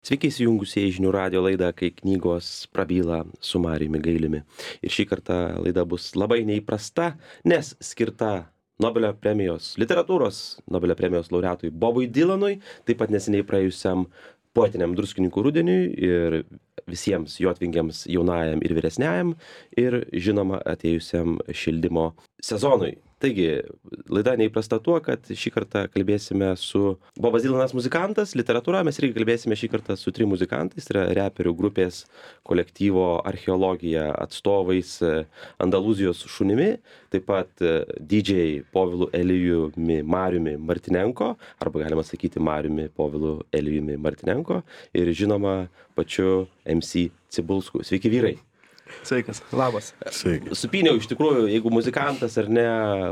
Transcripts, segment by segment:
Sveiki įsijungusieji žinių radijo laidą, kai knygos prabyla su Marijumi Gailiumi. Ir šį kartą laida bus labai neįprasta, nes skirta Nobelio premijos, literatūros Nobelio premijos laureatui Bobui Dylanui, taip pat neseniai praėjusiam poetiniam Druskininkų rudeniui ir visiems jotvingiams jaunajam ir vyresniajam ir žinoma atėjusiam šildymo sezonui. Taigi, laida neįprasta tuo, kad šį kartą kalbėsime su Bobas Dylanas muzikantas, literatūra, mes irgi kalbėsime šį kartą su 3 muzikantais, tai yra reperių grupės kolektyvo Archeologija atstovais Andalūzijos šunimi, taip pat DJ Povilu Elijumi Mariumi Martinenko, arba galima sakyti Mariumi Povilu Elijumi Martinenko ir žinoma pačiu MC Cibulsku. Sveiki vyrai! Sveikas, labas. Sveiki. Supyniau, iš tikrųjų, jeigu muzikantas ar ne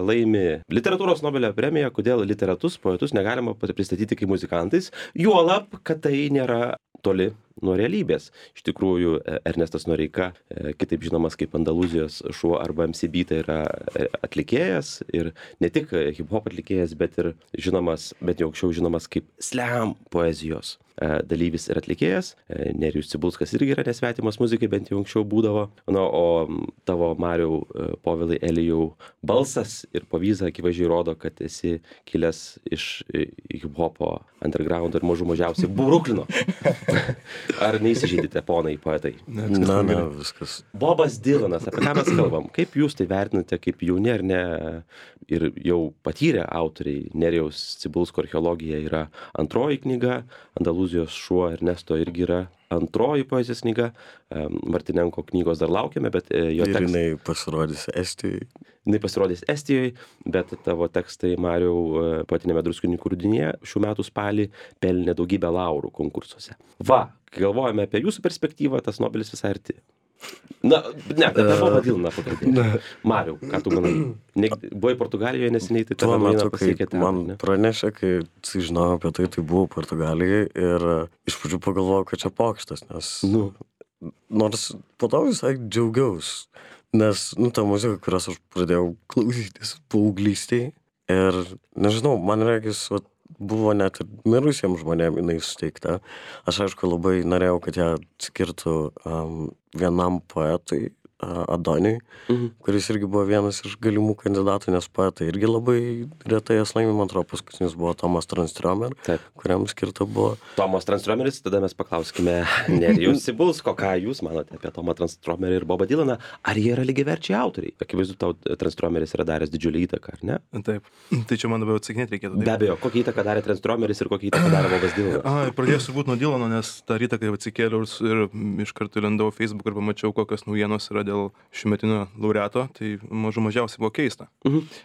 laimi literatūros Nobelio premiją, kodėl literatus, poetus negalima pristatyti kaip muzikantais, juolab, kad tai nėra toli nuo realybės. Iš tikrųjų, Ernestas Noreika, kitaip žinomas kaip Andalūzijos šuo arba MC Beat, yra atlikėjas ir ne tik hip-hop atlikėjas, bet ir žinomas, bet jau anksčiau žinomas kaip slam poezijos dalyvis ir atlikėjas. Nerijus Cibulskas irgi yra nesvetimas muzikai, bent jau anksčiau būdavo. Na, o tavo Mariau Povilai Elijau balsas ir pavyza akivaizdžiai rodo, kad esi kilęs iš hip-hopo underground ir mažiausiai Bruklino. Ar neįsižeidite, ponai poetai? Ne, viskas. Bobas Dylanas, apie ką mes kalbam? Kaip jūs tai vertinate, kaip jauni ar ne ir jau patyrę autoriai? Nerijaus Cibulsko Archeologija yra antroji knyga, Andalūzijos šuo Ernesto irgi yra antroji poezijos knyga, Martinenko knygos dar laukiame, bet jo Ir tekstai... jinai pasirodys Estijoje. Jinai pasirodys Estijoje, bet tavo tekstai, Mariau, poetiniame Druskininkų rudenyje šių metų spalį pelnė daugybę laurų konkursuose. Va, kai galvojame apie jūsų perspektyvą, tas Nobelis visai arti. Na, ne, apie Bobą Dylaną pakalbėti. Mariau, ką tu manai? Buvai Portugalijoje neseniai, tai Tuo tavo metu, maina pasiekė ten, man ne? pranešė, kai sužinojau apie tai buvau Portugalijoje ir iš pradžių pagalvojau, kad čia pokštas, nes nors po to visai džiaugiaus, nes, ta muzika, kurios aš pradėjau klausytis paauglystėje ir, nežinau, man regis, buvo net ir mirusiems žmonėms jinai suteikta. Aš aišku labai norėjau, kad ją skirtų vienam poetui, Adoniui, kuris irgi buvo vienas iš galimų kandidatų, nes poetai irgi labai retai jas laimi, man atrodo, paskutinis buvo Tomas Tranströmer, kuriam skirta buvo. Tomas Tranströmeris, tada mes paklauskime Nerijaus Cibulsko, ką jūs manote apie Tomą Tranströmerį ir Bobą Dylaną, ar jie yra lygiaverčiai autoriai? Akivaizdu, tau Tranströmeris yra daręs didžiulį įtaką, ar ne? Taip, tai čia man labiau atsakinėti reikėtų. Be abejo, kokią įtaką darė Tranströmeris ir kokią įtaką darė Bobas Dylanas? Pradėsiu turbūt nuo Dylano, nes tą rytą, kai atsikėliau ir iš karto lendau Facebook ir pamačiau, kokios naujienos yra dėl šiųmetinio laureato, tai mažiausiai buvo keista.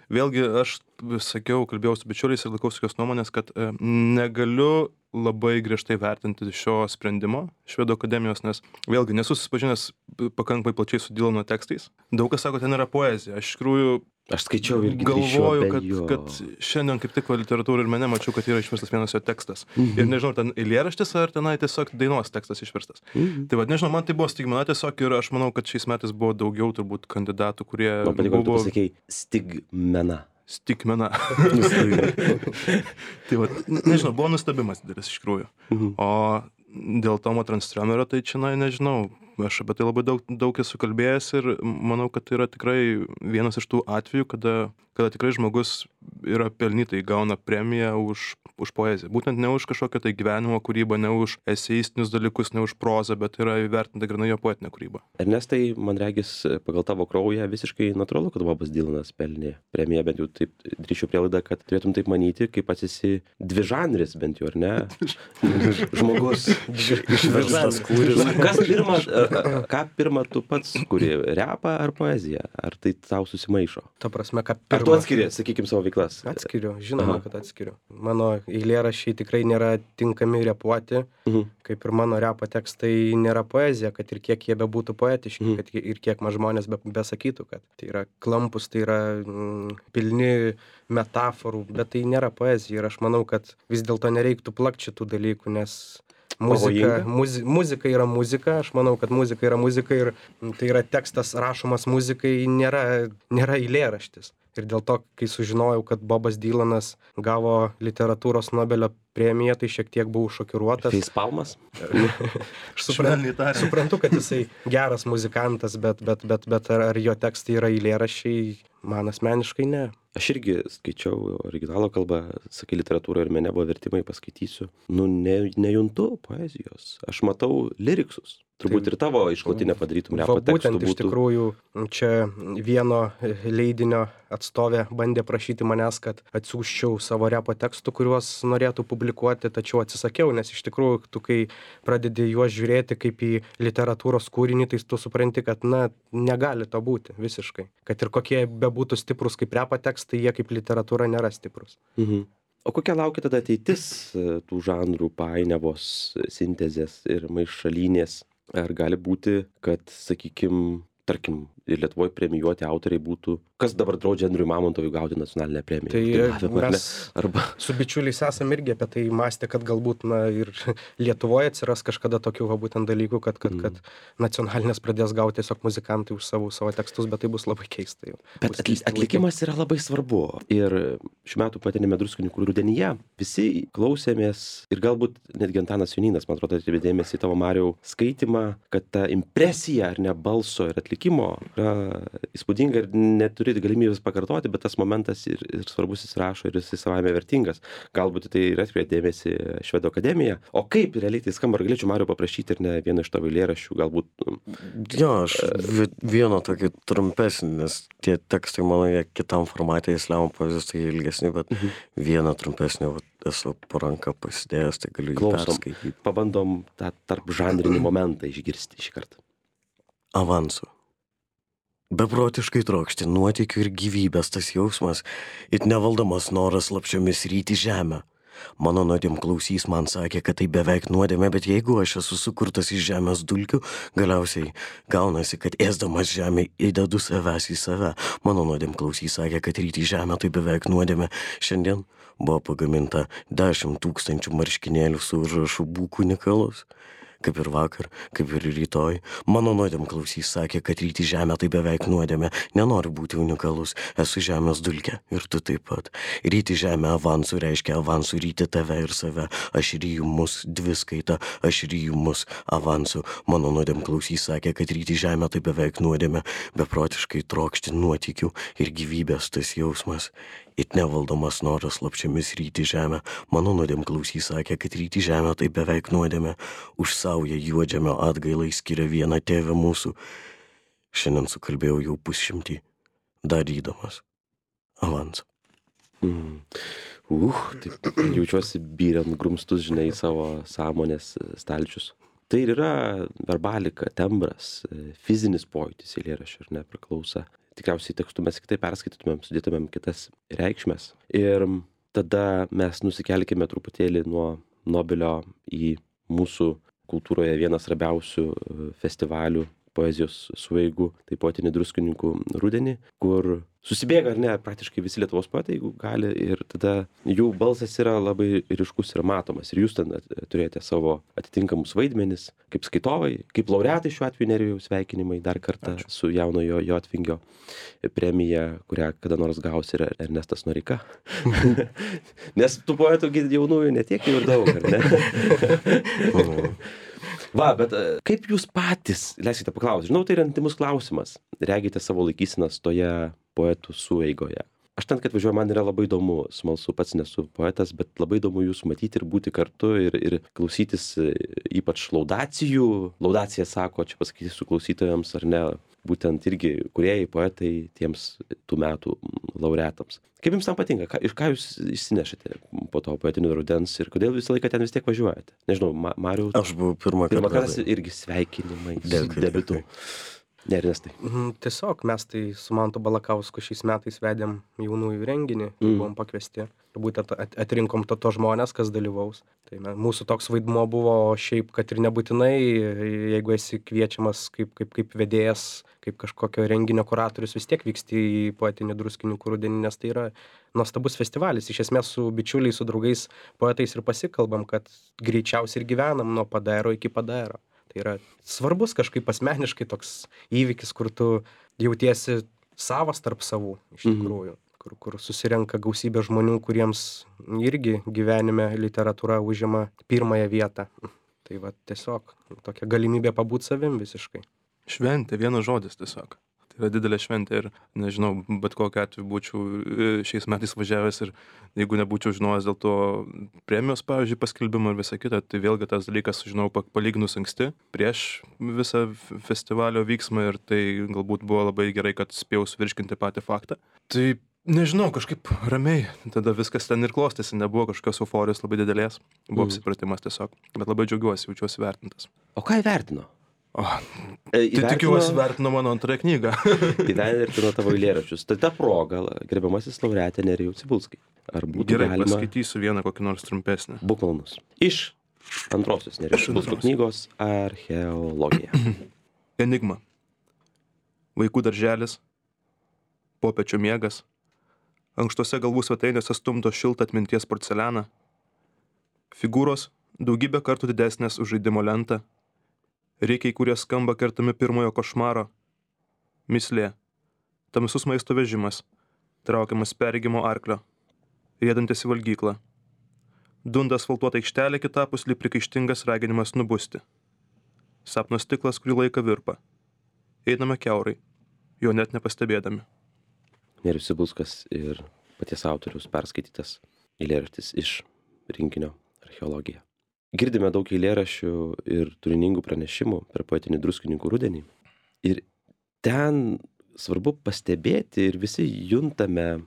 Vėlgi, aš sakiau, kalbėjau su bičiuliais ir laikausi tokios nuomonės, kad negaliu labai griežtai vertinti šio sprendimo Švedų akademijos, nes vėlgi nesu susipažinęs pakankamai plačiai su Dylano tekstais. Daug kas sako, ten yra poezija. Aš iš tikrųjų skaičiau irgi galvoju, kad šiandien kaip tik literatūrą ir mene mačiau, kad yra išverstas vienas jo tekstas. Ir nežinau, ten eilėraštis ar tenai tiesiog dainos tekstas išverstas. Tai vad, nežinau, man tai buvo stigmena tiesiog ir aš manau, kad šiais metais buvo daugiau turbūt kandidatų, kurie man patiko, tu pasakei stigmena. Stigmena. Tai va, nežinau, buvo nustebimas didelis iš tikrųjų. O dėl Tomo Tranströmerio, tai čia, nežinau, aš apie tai labai daug esu kalbėjęs ir manau, kad tai yra tikrai vienas iš tų atvejų, kada tikrai žmogus yra pelnytai gauna premiją už poeziją. Būtent ne už kažkokią tai gyvenimo kūrybą, ne už eseistinius dalykus, ne už prozą, bet yra įvertinta grynai jo poetinė kūryba. Ernestai, man regis, pagal tavo kraują visiškai natūralu, kad Bobas Dylanas pelnė premiją, bent jau taip drįšiu prielaidą, kad turėtum taip manyti, kaip pats esi dvižanris, bent jau, ar ne? Žmogus. Išverstas kūrinys. Kas pirma, ką pirma tu pats kuri, repą ar poeziją? Ar tai tau susimaišo? Ta prasme, ką pirma. Ar tu atskiri, sakykim, savo veiklas? Atskiriu, žinoma, kad atskiriu. Mano eilėraščiai tikrai nėra tinkami repuoti, kaip ir mano repo tekstai nėra poezija, kad ir kiek jie bebūtų poetiški, kad ir kiek man žmonės besakytų, kad tai yra klampus, tai yra pilni metaforų, bet tai nėra poezija ir aš manau, kad vis dėlto nereiktų plakti šitų dalykų, nes muzika yra muzika, aš manau, kad muzika yra muzika ir tai yra tekstas rašomas muzikai, nėra eilėraštis. ir dėl to, kai sužinojau, kad Bobas Dylanas gavo literatūros Nobelio premiją, tai šiek tiek buvau šokiruotas. Facepalmas? Aš suprantu, kad jisai geras muzikantas, bet ar jo tekstai yra eilėraščiai, man asmeniškai ne. Aš irgi skaičiau originalo kalbą, sakai, literatūra ir mene buvo vertimai, paskaitysiu. Nu, nejuntu poezijos. Aš matau liriksus. Turbūt ir tavo išklotinę padarytum repo tekstų Būtent būtų. iš tikrųjų čia vieno leidinio atstovė bandė prašyti manęs, kad atsiųsčiau savo repo tekstų, kuriuos norėtų publikuoti, tačiau atsisakiau, nes iš tikrųjų tu, kai pradedi juos žiūrėti kaip į literatūros kūrinį, tai tu supranti, kad negali to būti visiškai. Kad ir kokie bebūtų stiprus kaip repo tekstai, jie kaip literatūra nėra stiprus. O kokia laukia tada ateitis tų žanrų painiavos, sintezės ir maišalynės? Ar gali būti, kad, sakykim, tarkim, ir Lietuvoje premijuoti autoriai būtų, kas dabar draudžia Andriui Mamontovui gauti nacionalinę premiją? Tai mes su bičiuliais esam irgi apie tai mąstę, kad galbūt ir Lietuvoje atsiras kažkada tokių būtent dalykų, kad nacionalinės pradės gauti tiesiog muzikantai už savo tekstus, bet tai bus labai keista jau. Bet atlikimas yra labai svarbu. Ir šių metų Poetiniame Druskininkų rudenyje visi klausėmės ir galbūt netgi Antanas Jonynas, man atrodo, atkreipė dėmesį į tavo, Mariau, skaitymą, kad ta impresija, ar ne, balso ir atlikimo yra įspūdinga ir neturi galimybės pakartoti, bet tas momentas ir svarbus įsirašo ir jis savaime vertingas. Galbūt tai ir atkreipė dėmesį Švedų akademija. O kaip realiai tai skamba? Ar galėčiau, Mariau, paprašyti ir ne vieną iš tavo eilėraščių, galbūt? Jo, aš vieną tokį trumpesnį, nes tie tekstai mano jie kitam formatė, Islamo poezijos tai ilgesni, bet vieną trumpesnį esu po ranką pasidėjęs, tai galiu jį perskaityti. Pabandom tą tarp žanrinį momentą išgirsti šį kartą. Avansu. Beprotiškai trokšti nuotykių ir gyvybės tas jausmas, it nevaldomas noras slapčiomis ryti žemę. Mano nuodėm klausys man sakė, kad tai beveik nuodėmė, bet jeigu aš esu sukurtas iš žemės dulkių, galiausiai gaunasi, kad ėsdamas žemę įdedu savęs į save. Mano nuodėm klausys sakė, kad ryti žemę tai beveik nuodėmė. Šiandien buvo pagaminta 10 000 marškinėlių su užrašu būk unikalus. Kaip ir vakar, kaip ir rytoj. Mano nuodėm klausys sakė, kad ryti žemę tai beveik nuodėmė. Nenoriu būti unikalus, esu žemės dulkė ir tu taip pat. Ryti žemę avansu reiškia avansu ryti tave ir save. Aš ryju mus dviskaita, aš ryju mus avansu. Mano nuodėm klausys sakė, kad ryti žemę tai beveik nuodėmė. Beprotiškai trokšti nuotykių ir gyvybės tas jausmas. It nevaldomas noras slapčiomis ryti žemę. Mano nuodėm klausys sakė, kad ryti žemę tai beveik nuodėmė. Už saują juodžemio atgailai skiria vieną tėvę mūsų. Šiandien sukalbėjau jau 100, darydamas avansą. Taip jaučiuosi byrant grumstus, žinai, savo sąmonės stalčius. Tai ir yra verbalika, tembras, fizinis pojūtis eilėraščio, ar ne, priklauso. Tikriausiai tekstų mes kitaip perskaitytumėm, sudėtumėm kitas reikšmes. Ir tada mes nusikelkime truputėlį nuo Nobelio į mūsų kultūroje vieną svarbiausių festivalių poezijos sueigų, tai Poetinį Druskininkų rudenį, kur susibėga, ar ne, praktiškai visi Lietuvos poetai, jeigu gali, ir tada jų balsas yra labai ryškus ir matomas. Ir jūs ten turėjote savo atitinkamus vaidmenis, kaip skaitovai, kaip laureatai šiuo atveju Nerijau, sveikinimai dar kartą. Ačiū. Su jaunojo Jotvingio premija, kurią kada nors gaus ir Ernestas Noreika. Nes tų poetų jaunųjų netiek jau ir daug, ar ne? Va, bet kaip jūs patys, leiskite paklausti, žinau, tai yra intymus klausimas, regite savo laikysenas toje poetų sueigoje. Aš ten, kad važiuoju, man yra labai įdomu, smalsu, pats nesu poetas, bet labai įdomu jūs matyti ir būti kartu ir klausytis ypač laudacijų. Laudacija sako, čia pasakyti su klausytojams, ar ne, būtent irgi kūrėjai, poetai tiems tų metų laureatams. Kaip jums tam patinka? Ką jūs išsinešate po to Poetinio rudens ir kodėl visą laiką ten vis tiek važiuojate? Nežinau, Mariau. Aš buvau pirmą kartą irgi sveikinimai su debiutu. Ne, Ernestai. Tiesiog mes tai su Mantu Balakausku šiais metais vedėm jaunųjų renginį, buvom pakviesti. Būtent atrinkom to žmonės, kas dalyvaus. Tai mūsų toks vaidmuo buvo šiaip, kad ir nebūtinai, jeigu esi kviečiamas kaip vedėjas, kaip kažkokio renginio kuratorius, vis tiek vyksti į Poetinį Druskininkų rudenį, nes tai yra nuostabus festivalis. Iš esmės su bičiuliais, su draugais, poetais ir pasikalbam, kad greičiausiai ir gyvenam nuo padairo iki padairo. Tai yra svarbus kažkaip asmeniškai toks įvykis, kur tu jautiesi savas tarp savų, iš tikrųjų. kur susirenka gausybė žmonių, kuriems irgi gyvenime literatūra užima pirmąją vietą. Tai va tiesiog tokia galimybė pabūt savim visiškai. Šventė, vienas žodis tiesiog. Tai yra didelė šventė ir, nežinau, bet kokiu atveju būčiau šiais metais važiavęs ir jeigu nebūčiau žinojęs dėl to premijos, pavyzdžiui, paskelbimo ir visą kitą, tai vėlgi tas dalykas sužinau palyginus anksti prieš visą festivalio vyksmą ir tai galbūt buvo labai gerai, kad spėjau suvirškinti patį faktą. Tai nežinau, kažkaip ramiai tada viskas ten ir klostėsi, nebuvo kažkokios euforijos labai didelės, buvo apsipratimas tiesiog, bet labai džiaugiuosi, jaučiuosi vertintas. O ką įvertino? Tai tikiuosi vertino mano antrąją knygą. Įvertino tavo eilėraščius. Tai ta proga, gerbiamasis laureatė Nerijau Cibulskai. Ar būtų Gerai, galima... paskaitysiu vieną kokį nors trumpesnį. Būk malonus. Iš antrosios Nerijos Cibulskų knygos Archeologija. Enigma. Vaikų darželis. Popiečio miegas. Ankštose galvų svetainėse stumdo šiltą atminties porcelianą. Figūros daugybę kartų didesnės už žaidimo lentą. Reikiai, kurie skamba kertami pirmojo košmaro. Mislė. Tamsus maisto vežimas. Traukiamas perregimo arklio. Riedantis į valgyklą. Dunda asfaltuota aikštelė kitapus lyg prikaištingas raginimas nubusti. Sapno stiklas, kurį laiką virpa. Einame kiaurai, jo net nepastebėdami. Nerijus Cibulskas ir paties autoriaus perskaitytas eilėraštis iš rinkinio Archeologija. Girdime daug eilėraščių ir turiningų pranešimų per poetinį Druskininkų rudenį. Ir ten svarbu pastebėti ir visi juntame,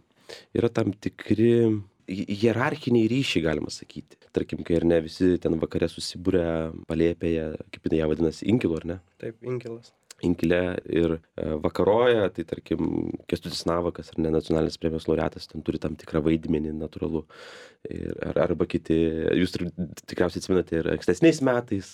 yra tam tikri hierarchiniai ryšiai, galima sakyti. Tarkim, kai ar ne visi ten vakare susibūrė palėpėje, kaip ją vadinasi, inkilu, ar ne? Taip, inkilas. Inkile ir vakaroja, tai tarkim, Kęstutis Navakas ar ne nacionalinės premijos laureatas, ten turi tam tikrą vaidmenį, natūralu. Arba kiti, jūs tikriausiai atsimenate ir ankstesniais metais,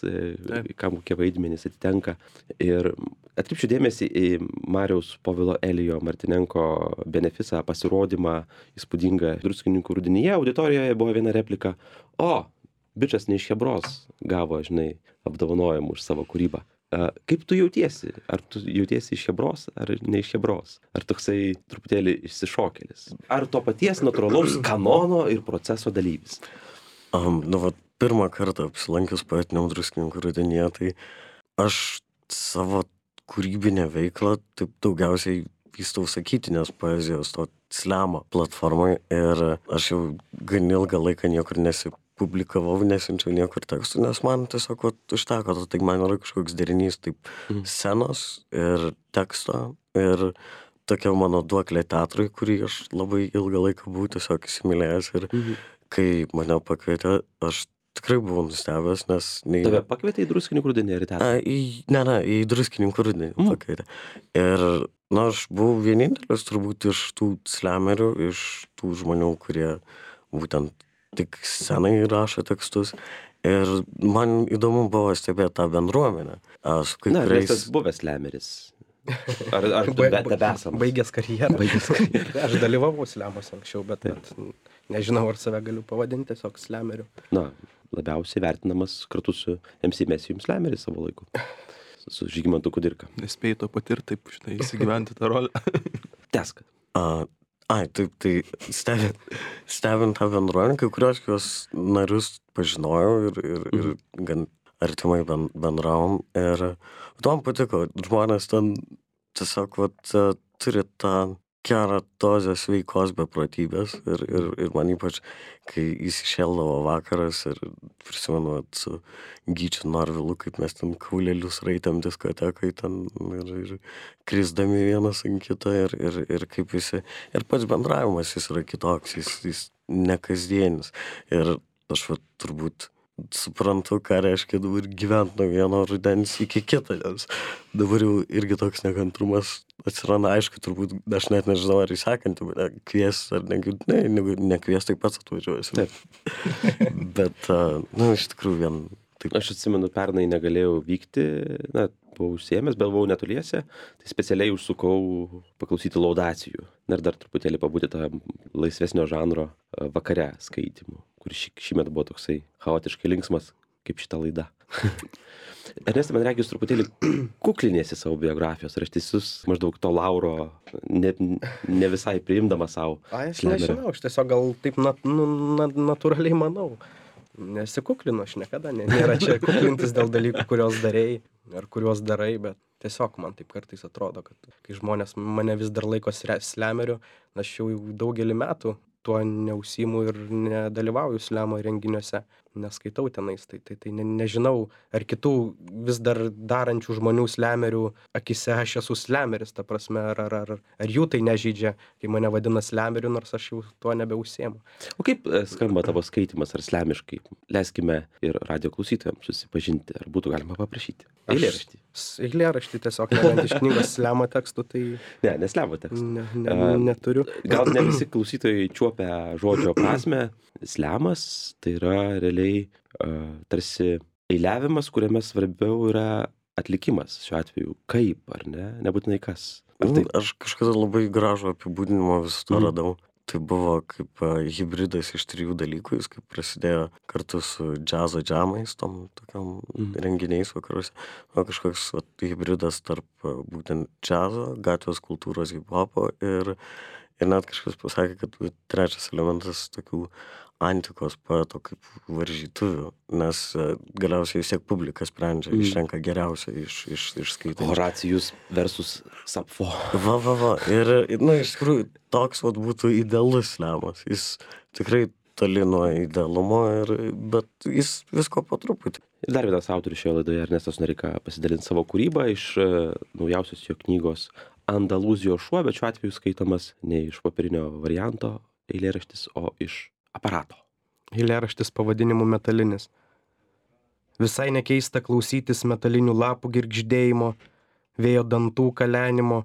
kam kokie vaidmenys atitenka. Ir atkreipčiau dėmesį į Mariaus Povilo Elijo Martinenko benefisą, pasirodymą įspūdingą Druskininkų rudenyje. Auditorijoje buvo viena replika: o, bičas ne iš Chebros gavo, žinai, apdovanojimų už savo kūrybą. Kaip tu jautiesi? Ar tu jautiesi iš Chebros, ar ne iš Chebros? Ar toksai truputėlį išsišokėlis? Ar to paties natūralaus kanono ir proceso dalyvis? Pirmą kartą apsilankius poetiniam Druskininkų rudenyje, tai aš savo kūrybinę veiklą taip daugiausiai vystau sakytinės poezijos, to slemo platformai, ir aš jau gan ilgą laiką niekur publikavau, nesinčiau niekur tekstų, nes man tiesiog užteko, tai man yra kažkoks derinys taip scenos ir teksto ir tokia mano duoklė teatrui, kurį aš labai ilgą laiką buvau tiesiog įsimylėjęs, ir kai mane pakvietė, aš tikrai buvau nustebęs, nes... Tave pakvietė į Druskininkų rudenį ar į teatrą? Į Druskininkų rudenį pakvietė. Ir aš buvau vienintelis turbūt iš tų slemerių, iš tų žmonių, kurie būtent tik scenai rašo tekstus, ir man įdomu buvo stebėti tą bendruomenę. Nes tas buvęs slemeris. Ar tu tebesamas? Baigęs karjerą. Aš dalyvavau slemuose anksčiau, bet nežinau, ar save galiu pavadinti tiesiog slemeriu. Labiausiai vertinamas kartu su MC Mesijum slemeris savo laiku. Su Žygimantu Kudirka. Nespėjai to patirti, taip, štai, įsigyventi tą rolę. Tesk. Taip, tai stebint tą bendruomenę, kai kurios jos narius pažinojau ir gan artimai bendravom, ir man patiko, žmonės ten tiesiog turi tą gerą dozę sveikos beprotybės, ir man ypač, kai įsišėldavo vakaras, ir prisimenu su Gyčiu Norvilu, kaip mes ten kaulelius raitėm diskotekai ten ir krisdami vienas ant kito, ir kaip visi, ir pats bendravimas jis yra kitoks, jis nekasdienis, ir aš turbūt suprantu, ką reiškia dabar gyventi nuo vieno rudens iki kito, nes dabar jau irgi toks nekantrumas atsiranda, aišku, turbūt aš net nežinau, ar į sekantį kvies, ar nekvies, taip pats atvažiuosi. Bet, iš tikrųjų taip. Aš atsimenu, pernai negalėjau vykti, buvau užsiėmęs, bet buvau netoliese, tai specialiai užsukau paklausyti laudacijų. Ir dar truputėlį pabūti tą laisvesnio žanro vakare skaitimų, kur šįmet buvo toksai chaotiškai linksmas, kaip šita laida. Ernestai, man regis truputėlį kukliniesi savo biografijos, ar aš teisus maždaug to lauro ne visai priimdamas savo. Aš nežinau, aš tiesiog gal taip natūraliai manau. Nesikuklinu, aš niekada, nėra čia kuklintis dėl dalykų, kuriuos darei ar kuriuos darai, bet tiesiog man taip kartais atrodo, kad kai žmonės mane vis dar laiko slemeriu, aš jau daugelį metų tuo neužsiimu ir nedalyvauju slemo renginiuose, neskaitau tenais, tai nežinau, ar kitų vis dar darančių žmonių slemerių akise aš esu slemeris, ta prasme, ar jų tai nežydžia, kai mane vadina slemeriu, nors aš jau tuo nebeužsiimu. O kaip skamba tavo skaitimas ar slemiškai? Leiskime ir radio klausytojams susipažinti, ar būtų galima paprašyti. Eilėraštį. Eilėraštį tiesiog, nebent iš knygos slemo tekstų, tai... Ne slemo tekstų. Neturiu. Gal ne visi klausytojai čiuopia žodžio prasme. Slemas tai yra realiai tarsi eiliavimas, kuriame svarbiau yra atlikimas šiuo atveju. Kaip, ar ne? Nebūtinai kas. Aš kažkada labai gražų apibūdinimą viso to radau. Tai buvo kaip hibridas iš 3 dalykų, jis kaip prasidėjo kartu su džiazo džamais, tom tokiam renginiais vakaruose. O kažkoks hibridas tarp būtent džiazo, gatvės kultūros, hip-hopo ir net kažkas pasakė, kad trečias elementas tokių antikos poeto kaip varžytuvių, nes galiausiai vis tiek publika sprendžia, išrenka geriausią iš skaitančių. Horacijus versus Sapfo. Va. Ir, iš tikrųjų, toks būtų idealus slemas. Jis tikrai toli nuo idealumo, bet jis visko po truputį. Ir dar vienas autorius šioje laidoje, Ernestas Noreika, pasidalinti savo kūrybą iš naujausios jo knygos Andalūzijos šuo, bet šiuo atveju skaitomas ne iš popierinio varianto eilėraštis, o iš aparato. Eilėraštis pavadinimu Metalinis. Visai nekeista klausytis metalinių lapų girgždėjimo, vėjo dantų kalenimo,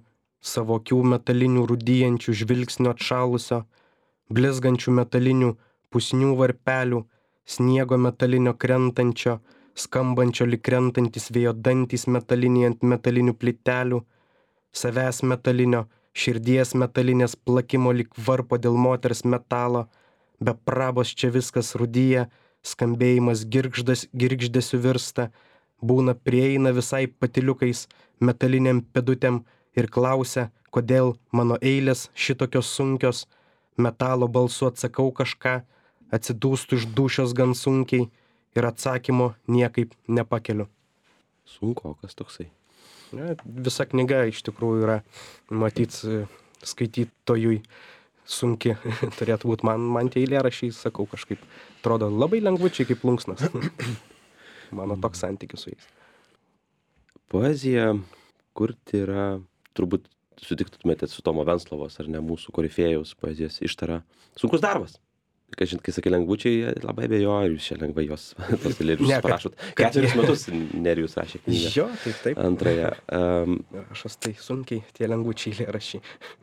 savo akių metalinių rūdyjančių žvilgsnio atšalusio, blizgančių metalinių pusnių varpelių, sniego metalinio krentančio, skambančio lyg krentantis vėjo dantys metaliniai ant metalinių plytelių, savęs metalinio, širdies metalinės plakimo lyg varpo dėl moters metalo, be prabos čia viskas rūdyja, skambėjimas girgždesiu virsta, būna prieina visai patyliukais metaliniam pedutėm ir klausia, kodėl mano eilės šitokios sunkios, metalo balsu atsakau kažką, atsidūstu iš dūšios gan sunkiai ir atsakymo niekaip nepakeliu. Sunkokas toksai. Visa knyga iš tikrųjų yra, matyt, skaitytojui sunki turėtų būti. Man tie eilėraščiai, sakau, kažkaip atrodo labai lengvučiai kaip plunksnas. Mano toks santykis su jais. Poezija kurti yra, turbūt sutiktumėte su Tomo Venclovos, ar ne, mūsų korifėjaus poezijos ištara. Sunkus darbas. Kai sakai lengvučiai, labai abejoju, ar jūs čia lengvai tos eilėraščius parašot. 4 metus Nerijus rašė knygą. Jo, taip. Antrąją. Rašas tai sunkiai, tie lengvučiai eilėraščiai.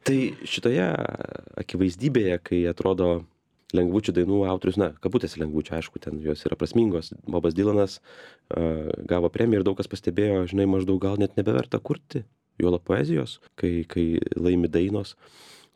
Tai šitoje akivaizdybėje, kai atrodo lengvučių dainų autorius, kabutėse lengvučių, aišku, ten jos yra prasmingos. Bobas Dylanas gavo premiją ir daug kas pastebėjo, žinai, maždaug gal net nebeverta kurti juolab poezijos, kai laimi dainos.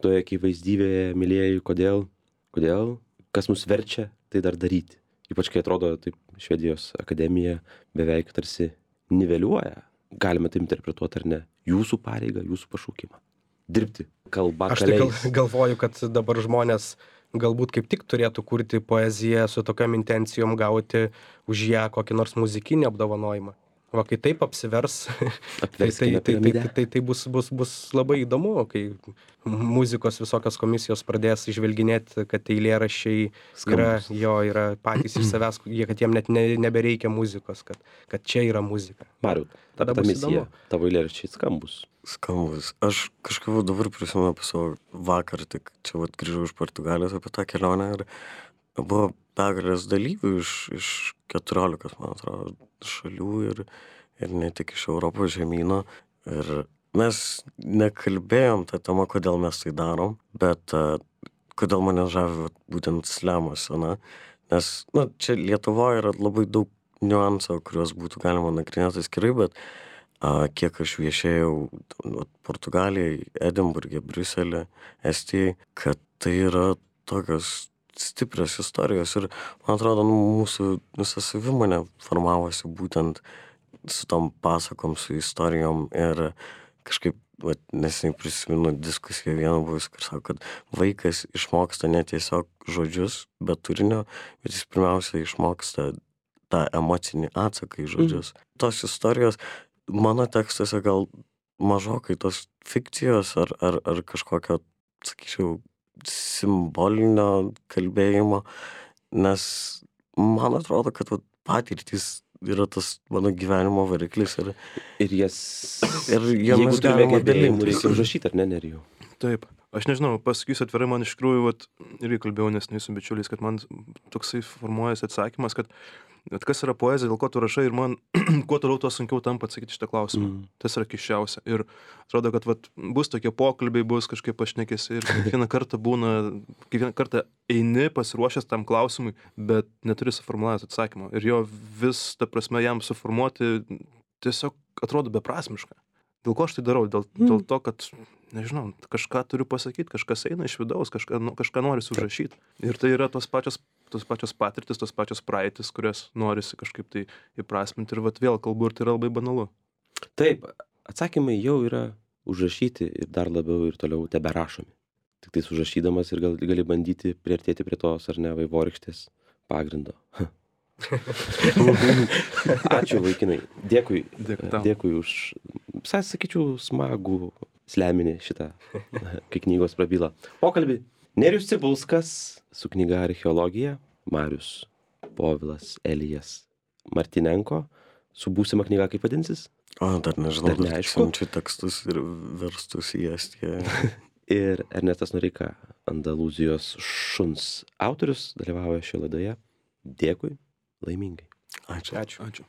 Toje akivaizdybėje, mylėjai, kodėl? Kas mus verčia tai dar daryti. Ypač kai atrodo, taip, Švedijos akademija beveik tarsi niveliuoja. Galime tai interpretuoti ar ne. Jūsų pareigą, jūsų pašaukimą. Dirbti kalba kaliais. Aš tai galvoju, kad dabar žmonės galbūt kaip tik turėtų kurti poeziją su tokiam intencijom gauti už ją kokį nors muzikinį apdovanojimą. Va, kai taip apsivers, tai bus labai įdomu, kai muzikos visokios komisijos pradės išvelginėti, kad eilėraščiai yra patys iš savęs, kad jiem net nebereikia muzikos, kad čia yra muzika. Mariau, ta misija, tavo eilėraščiai skambus. Skambus. Aš kažkaip dabar prisimenu apie savo vakar, tik čia grįžau iš Portugalijos apie tą kelionę ir buvo begalės dalyvių iš 14, man atrodo, šalių ir ne tik iš Europos žemyno. Ir mes nekalbėjom tą temą, kodėl mes tai darom, bet kodėl mane žavi būtent slemo scena. Nes čia Lietuvoje yra labai daug niuansų, kuriuos būtų galima nagrinėti atskirai, bet kiek aš viešėjau Portugalijai, Edinburge, Briuselė, Estijai, kad tai yra tokios stiprios istorijos ir, man atrodo, mūsų visa savimonė formavosi būtent su tom pasakom, su istorijom ir kažkaip, vat, neseniai prisimenu diskusiją vieną buvus, kur sako, kad vaikas išmoksta ne tiesiog žodžius, bet turinio, bet jis pirmiausia išmoksta tą emocinį atsaką į žodžius. Tos istorijos mano tekstuose gal mažokai tos fikcijos ar kažkokio, sakyčiau, simbolinio kalbėjimo, nes man atrodo, kad vat, patirtys yra tas mano gyvenimo variklis ir jas, jomis jeigu turime galima gebėjimų, dalintis. reikia užrašyti, ar ne, Nerijau? Taip. Aš nežinau, pasakysiu atvirai, man iš tikrųjų, vat, irgi kalbėjau neseniai su bičiuliais, kad man toksai formuojasi atsakymas, kad kas yra poezija, dėl ko tu rašai ir man kuo toliau, tuo sunkiau tampa atsakyti šitą klausimą. Tas yra keisčiausia. Ir atrodo, kad vat, bus tokie pokalbiai, bus kažkaip pašnekėsi ir kiekvieną kartą eini pasiruošęs tam klausimui, bet neturi suformulavęs atsakymą. Ir jo vis, ta prasme, jam suformuoti tiesiog atrodo beprasmiška. Dėl ko aš tai darau? Dėl to, kad, nežinau, kažką turiu pasakyti, kažkas eina iš vidaus, kažką nori užrašyti. Ir tai yra tos pačios patirtis, tos pačios praeitis, kurias norisi kažkaip tai įprasminti. Ir vat vėl kalbu, ir tai yra labai banalu. Taip, atsakymai jau yra užrašyti ir dar labiau ir toliau teberašomi. Tik tais užrašydamas ir gali bandyti priartėti prie tos, ar ne, vaivorykštės pagrindo. Ačiū, vaikinai. Dėkui už, sakyčiau, smagų sleminį šitą, kai knygos prabyla. Pokalbį. Nerijus Cibulskas su knyga Archeologija, Marius Povilas Elijas Martinenko su būsima knyga, kaip vadinsis? Dar nežinau, Dar neaišku. siunčiu tekstus ir verstus į Estiją. Ir Ernestas Noreika, Andalūzijos šuns autorius, dalyvauja šioje laidoje. Dėkui, laimingai. Ačiū. Ačiū. Ačiū.